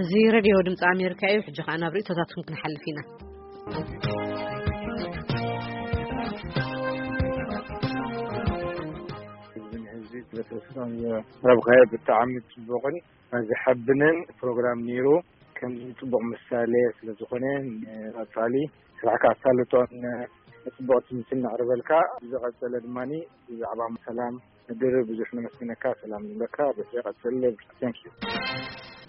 እዚ ሬድዮ ድምፂ ኣሜሪካ እዩ። ሕጂ ከኣ ናብ ርእይቶታትኩም ክንሓልፍ ኢና። ህዝቢ ስለተወሰነ ረብኸ ብጣዕሚ ጽቡቕን ዘሐብንን ፕሮግራም ነይሩ። ከምዚ ጽቡቕ ምሳሌ ስለ ዝኾነ፣ ንቐጻሊ ስራሕካ ኣሳልጦን ጽቡቕ ትምህርቲ እናቕርበልካ፣ ብዝቐጸለ ድማ ብዛዕባ ሰላም ምድር ብዙሕ ነመስግነካ። ሰላም ንብለካ። በዚ ቀጽል። Thank you።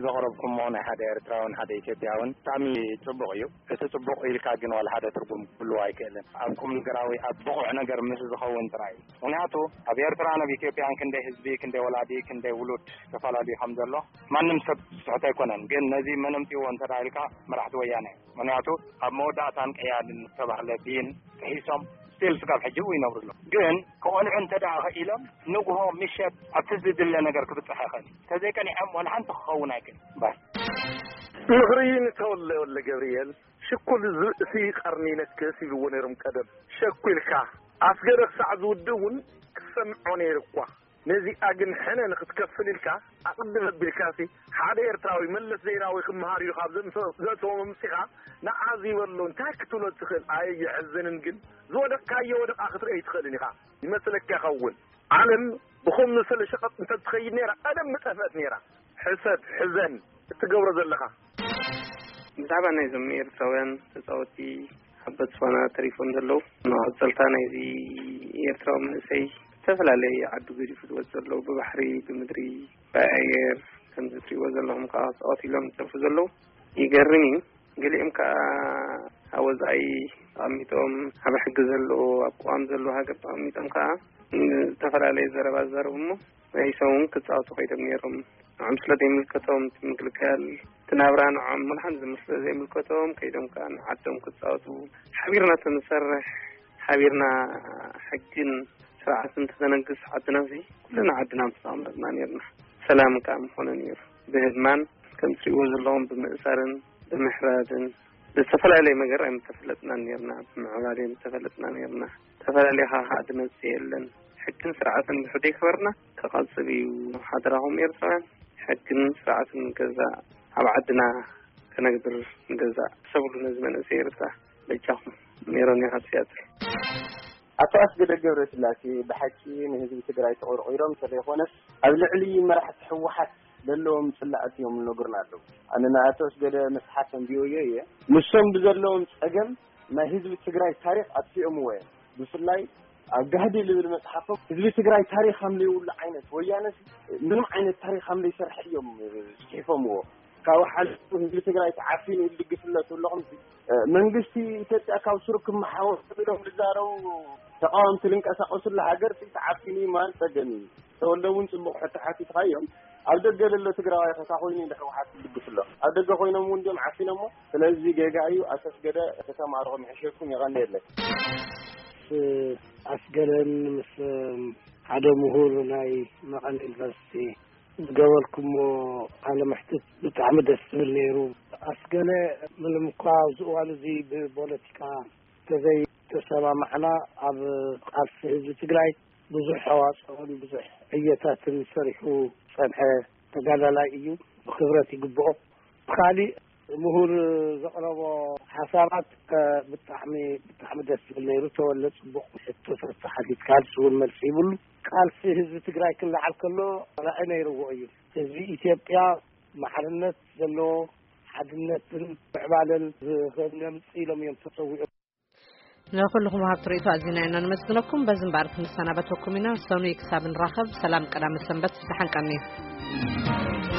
ዘቕረብኩሞ ናይ ሓደ ኤርትራውን ሓደ ኢትዮጵያውን ብጣዕሚ ጽቡቕ እዩ። እቲ ጽቡቕ ኢልካ ግን ዋላ ሓደ ትርጉም ክህልዎ ኣይክእልን። ኣብ ቁም ነገራዊ፣ ኣብ ብቑዕ ነገር ምስ ዝኸውን ጥራይ እዩ። ምኽንያቱ ኣብ ኤርትራ ናብ ኢትዮጵያን ክንደይ ህዝቢ፣ ክንደይ ወላዲ፣ ክንደይ ውሉድ ተፈላለዩ ከም ዘሎ ማንም ሰብ ዝስሕት ኣይኮነን። ግን ነዚ መን ኣምጺእዎ እንተ ደኣ ኢልካ መራሕቲ ወያነ። ምኽንያቱ ኣብ መወዳእታን ቀያድን ዝተባህለ ብይን ጥሒሶም ስቲል ስጋብ ሕጂ እውን ይነብሩ ኣለዉ። ግን ክቐንዑ እንተ ደኣ ኸኢሎም ንግሆ ምሸት ኣብቲ ዝድለ ነገር ክብጽሕ ይኽእል እዩ። እንተዘይቀኒዖም ዋላ ሓንቲ ክኸውን ኣይክእል ባይ። ምኽሪ ንተወለ ወለ ገብርኤል ሽኩል ዝርእሲ ቀርኒ ነክስ ይብልዎ ነይሮም ቀደም። ሸኩልካ ኣስገደ ክሳዕ ዝውድእ እውን ክሰምዖ ነይሩ እኳ። ነዚኣ ግን ሕነ ንኽትከፍል ኢልካ ኣቕድም ኣቢልካሲ ሓደ ኤርትራዊ መለስ ዜናዊ ክምሃር እዩ ካብ ዘምሰ-፣ ዘእተዎም ኣምጺኻ ንዓ ዝበሎ እንታይ ክትብሎ ትኽእል? ኣየ የሕዝንን ግን ዝወደቕካዮ ወደቓ ክትርኢ ኣይትኽእልን ኢኻ። ይመስለካ ይኸውን። ዓለም ብኸም መሰለ ሸቐጥ እንተ ትኸይድ ነይራ ቀደም ምጠፍአት ነይራ። ሕሰብ፣ ሕዘን እትገብሮ ዘለኻ። ብዛዕባ ናይዞም ኤርትራውያን ተጻወቲ ኣብ ቦትስዋና ተሪፎም ዘለዉ መቐጸልታ ናይዚ ኤርትራዊ መንእሰይ ዝተፈላለየ ዓዱ ገዲፉ ዝወጽእ ዘለዉ ብባሕሪ፣ ብምድሪ፣ ብኣየር ከምዚ ትሪእዎ ዘለኹም ከዓ ተቐቲሎም ዝጠፍኡ ዘለዉ ይገርም እዩ። ገሊኦም ከዓ ኣብ ወጻኢ ተቐሚጦም ኣብ ሕጊ ዘለዉ ኣብ ቅዋም ዘለዉ ሃገር ተቐሚጦም ከዓ ዝተፈላለየ ዘረባ ዝዛረቡ እሞ ናይ ሰውን ክጻወቱ ከይዶም ነይሮም። ንዖም ስለ ዘይምልከቶም እቲ ምግልጋል እቲ ናብራ ንዖም ምልሓን ዝምስለ ዘይምልከቶም ከይዶም ከዓ ንዓዶም ክጻወቱ ሓቢርና ተንሰርሕ ሓቢርና ሕግን ስርዓትን ተተነግስ ዓድና ሲ ኩልና ዓድና ምስተቐመጥና ነርና። ሰላም ከዓ ምኾነ ነይሩ። ብህድማን ከም ትሪእዎ ዘለኹም ብምእሳርን ብምሕራድን ብዝተፈላለየ መገር ኣይምተፈለጥናን ነርና። ብምዕባለ ምተፈለጥና ነርና። ተፈላለየ ከዓ ድመጽእ የለን። ሕግን ስርዓትን ብሕደይ ክበርና ክቐጽል እዩ። ሓደራኹም ኤርትራውያን ሕግን ስርዓትን ንገዛእ ኣብ ዓድና ከነግብር ንገዛእ። ሰብሉ ነዚ መንእሰይ ኤርትራ በጃኹም። ሜሮን ኢኻ ሲያትል። ኣቶ ኣስገደ ገብረስላሴ ብሓቂ ንህዝቢ ትግራይ ተቆርቂሮም እንተዘይኮነስ ኣብ ልዕሊ መራሕቲ ህወሓት ዘለዎም ጽላእት እዮም እነግሩና ኣለዉ። ኣነ ንኣቶ ኣስገደ መስሓት ኣንቢዮዮ እየ። ንሶም ብዘለዎም ጸገም ናይ ህዝቢ ትግራይ ታሪኽ ኣጥፊኦምዎ እዮም። ብፍላይ ኣብ ጋህዲ ልብል መጽሓፎም ህዝቢ ትግራይ ታሪኽ ከም ዘይብሉ ዓይነት፣ ወያነስ ምንም ዓይነት ታሪኽ ከም ዘይሰርሐ እዮም ጽሒፎምዎ። ካብ ሓሊፉ ህዝቢ ትግራይ ተዓፊኑ ኢሉ ድግፍለት ኣለኹም። መንግስቲ ኢትዮጵያ ካብ ስሩ ክመሓወር ኢሎም ዝዛረቡ ተቃወምቲ ዝንቀሳቀሱላ ሃገር ተዓፊኑ እዩ ማለት ጸገም እዩ። ተወልደ እውን ጽቡቕ ሕቶ ሓቲትካ እዮም። ኣብ ደገ ዘሎ ትግራዋይ ከታ ኮይኑ ንሕወሓት ትድግፍ ኣሎ። ኣብ ደገ ኮይኖም እውን ድዮም ዓፊኖሞ? ስለዚ ጌጋ እዩ። ኣቶ ኣስገደ ከተማርኹም ይሕሸኩም። የቐንየለይ። ኣስገደን ምስ ሓደ ምሁር ናይ መቐለ ዩኒቨርሲቲ ዝገበርኩሞ ቃለ መሕትት ብጣዕሚ ደስ ዝብል ነይሩ። ኣስገለ ምንም እኳ ኣብዚ እዋን እዚ ብፖለቲካ ተዘይተሰማማዕና፣ ኣብ ቃልሲ ህዝቢ ትግራይ ብዙሕ ኣዋፅኦን ብዙሕ ዕዮታትን ሰሪሑ ዝፀንሐ ተጋዳላይ እዩ። ብክብረት ይግብኦ። ካሊእ ምሁር ዘቕረቦ ሓሳባት፣ እ፣ ብጣዕሚ፣ ብጣዕሚ ደስ ዝብል ነይሩ። ተወለ፣ ጽቡቕ ሕቶታት ሓቲትካ፣ ንሱ እውን መልሲ ይብሉ። ቃልሲ ህዝቢ ትግራይ ክለዓል ከሎ ራዕይ ነይርዎ እዩ። ህዝቢ ኢትዮጵያ ማዕርነት ዘለዎ ሓድነትን ምዕባለን ዝ-፣ ከምጽእ ኢሎም እዮም ተጸዊዖም። ንኹልኹም ወሃብቲ ርእይቶ ኣዚና ኢና ነመስግነኩም። በዚ እምበኣር ክንሰናበተኩም ኢና። ሰኑይ ክሳብ ንራኸብ፣ ሰላም ቀዳመ ሰንበት፣ ደሓን ቀንዩ።